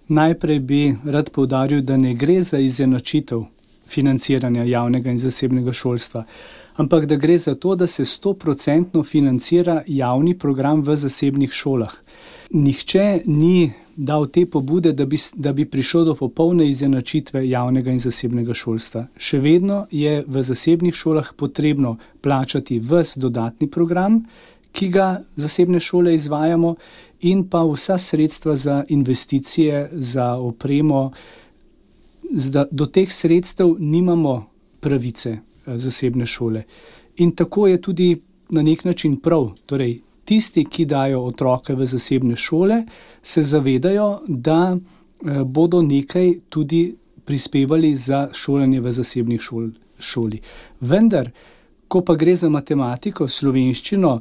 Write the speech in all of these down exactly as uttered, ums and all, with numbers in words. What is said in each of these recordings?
Najprej bi rad poudaril, da ne gre za izenačitev financiranja javnega in zasebnega šolstva, ampak da gre za to, da se sto procentno financira javni program v zasebnih šolah. Nihče ni dal te pobude, da bi, da bi prišel do popolne izenačitve javnega in zasebnega šolstva. Še vedno je v zasebnih šolah potrebno plačati ves dodatni program, ki ga zasebne šole izvajamo, in pa vsa sredstva za investicije, za opremo. Do teh sredstev nimamo pravice zasebne šole. In tako je tudi na nek način prav. Torej, tisti, ki dajo otroke v zasebne šole, se zavedajo, da bodo nekaj tudi prispevali za šolanje v zasebnih šol, šoli. Vendar, ko pa gre za matematiko, slovenščino,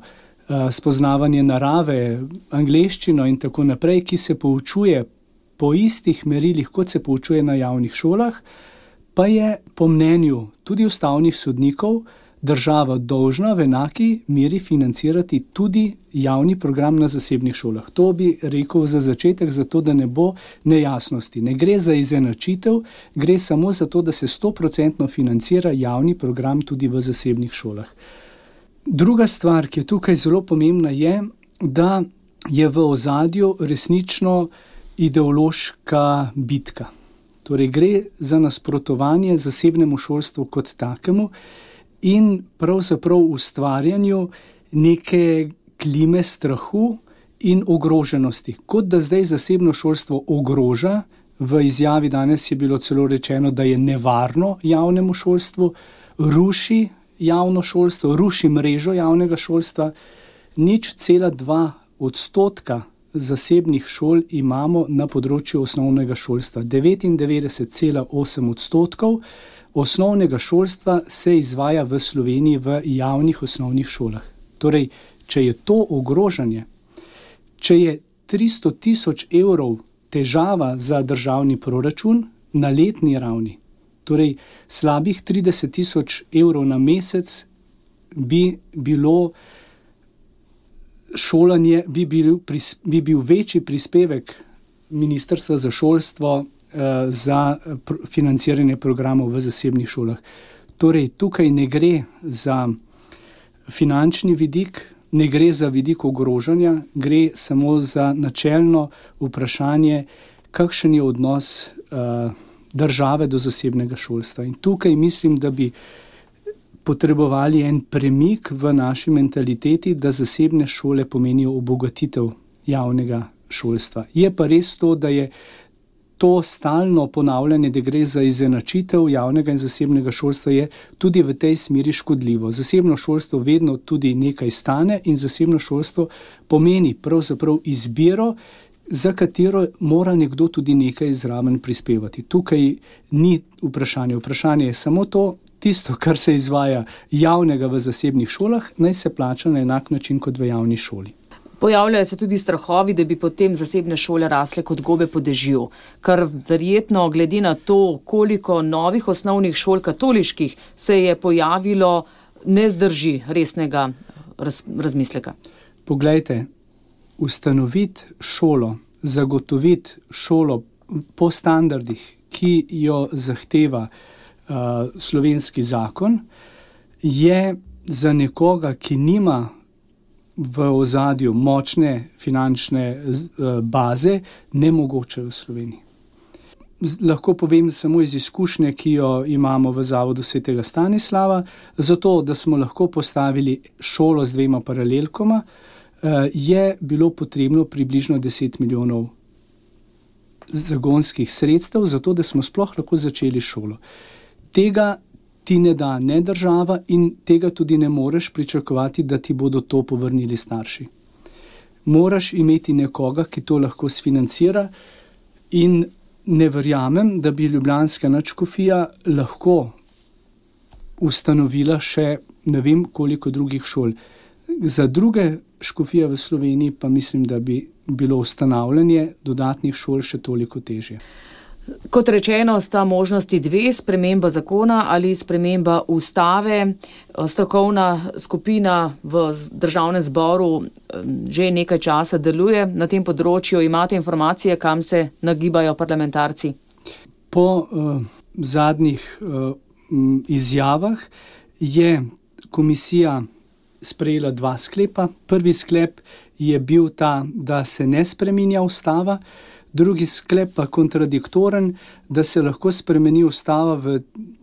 spoznavanje narave, angleščino in tako naprej, ki se poučuje po istih merilih, kot se poučuje na javnih šolah, pa je po mnenju tudi ustavnih sodnikov država dolžna v enaki meri financirati tudi javni program na zasebnih šolah. To bi rekel za začetek, zato da ne bo nejasnosti. Ne gre za izenačitev, gre samo za to, da se sto procentno financira javni program tudi v zasebnih šolah. Druga stvar, ki je tukaj zelo pomembna, je, da je v ozadju resnično ideološka bitka. Torej gre za nasprotovanje zasebnemu šolstvu kot takemu in pravzaprav ustvarjanju neke klime strahu in ogroženosti. Kot da zdaj zasebno šolstvo ogroža, v izjavi danes je bilo celo rečeno, da je nevarno javnemu šolstvu, ruši javno šolstvo, ruši mrežo javnega šolstva. Nič cela dva odstotka zasebnih šol imamo na področju osnovnega šolstva. devetindevetdeset cela osem odstotkov osnovnega šolstva se izvaja v Sloveniji v javnih osnovnih šolah. Torej, če je to ogrožanje, če je tristo tisoč evrov težava za državni proračun na letni ravni, torej slabih trideset tisoč evrov na mesec bi bilo šolanje, bi bil, bi bil večji prispevek Ministrstva za šolstvo eh, za pr- financiranje programov v zasebnih šolah. Torej, tukaj ne gre za finančni vidik, ne gre za vidik ogrožanja, gre samo za načelno vprašanje, kakšen je odnos eh, države do zasebnega šolstva. In tukaj mislim, da bi potrebovali en premik v naši mentaliteti, da zasebne šole pomenijo obogatitev javnega šolstva. Je pa res to, da je to stalno ponavljanje, da gre za izenačitev javnega in zasebnega šolstva, je tudi v tej smeri škodljivo. Zasebno šolstvo vedno tudi nekaj stane in zasebno šolstvo pomeni pravzaprav izbiro, za katero mora nekdo tudi nekaj zraven prispevati. Tukaj ni vprašanje. Vprašanje je samo to, tisto, kar se izvaja javnega v zasebnih šolah, naj se plača na enak način kot v javni šoli. Pojavljajo se tudi strahovi, da bi potem zasebne šole rasle kot gobe po dežju, kar verjetno glede na to, koliko novih osnovnih šol katoliških se je pojavilo, ne zdrži resnega raz, razmisleka. Poglejte, ustanoviti šolo, zagotoviti šolo po standardih, ki jo zahteva uh, slovenski zakon, je za nekoga, ki nima v ozadju močne finančne uh, baze, nemogoče v Sloveniji. Lahko povem samo iz izkušnje, ki jo imamo v Zavodu svetega Stanislava, zato, da smo lahko postavili šolo z dvema paralelkoma, je bilo potrebno približno deset milijonov zagonskih sredstev, zato da smo sploh lahko začeli šolo. Tega ti ne da ne država in tega tudi ne moreš pričakovati, da ti bodo to povrnili starši. Moraš imeti nekoga, ki to lahko sfinancira, in ne verjamem, da bi ljubljanska nadškofija lahko ustanovila še ne vem koliko drugih šol. Za druge škofije v Sloveniji pa mislim, da bi bilo ustanavljanje dodatnih šol še toliko težje. Kot rečeno, sta možnosti dve, sprememba zakona ali sprememba ustave. Strokovna skupina v državnem zboru že nekaj časa deluje na tem področju. Imate informacije, kam se nagibajo parlamentarci? Po uh, zadnjih uh, izjavah je komisija sprejela dva sklepa. Prvi sklep je bil ta, da se ne spreminja ustava. Drugi sklep pa kontradiktoren, da se lahko spremeni ustava v,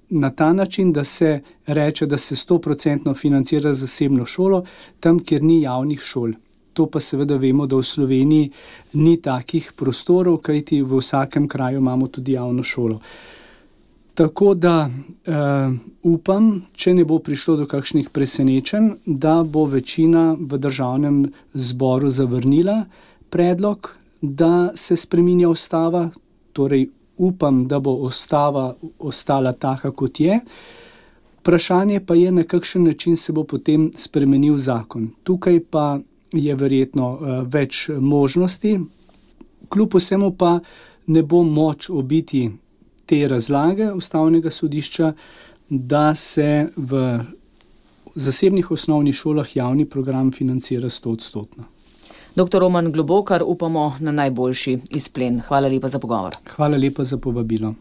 na ta način, da se reče, da se sto procentno financira zasebno šolo, tam, kjer ni javnih šol. To pa seveda vemo, da v Sloveniji ni takih prostorov, kajti v vsakem kraju imamo tudi javno šolo. Tako da uh, upam, če ne bo prišlo do kakšnih presenečenj, da bo večina v državnem zboru zavrnila predlog, da se spreminja ustava, torej upam, da bo ustava ostala taka, kot je. Vprašanje pa je, na kakšen način se bo potem spremenil zakon. Tukaj pa je verjetno uh, več možnosti. Kljub vsemu pa ne bo moč obiti te razlage Ustavnega sodišča, da se v zasebnih osnovnih šolah javni program financira sto odstotno. Doktor Roman Globokar, upamo na najboljši izplen. Hvala lepa za pogovor. Hvala lepa za povabilo.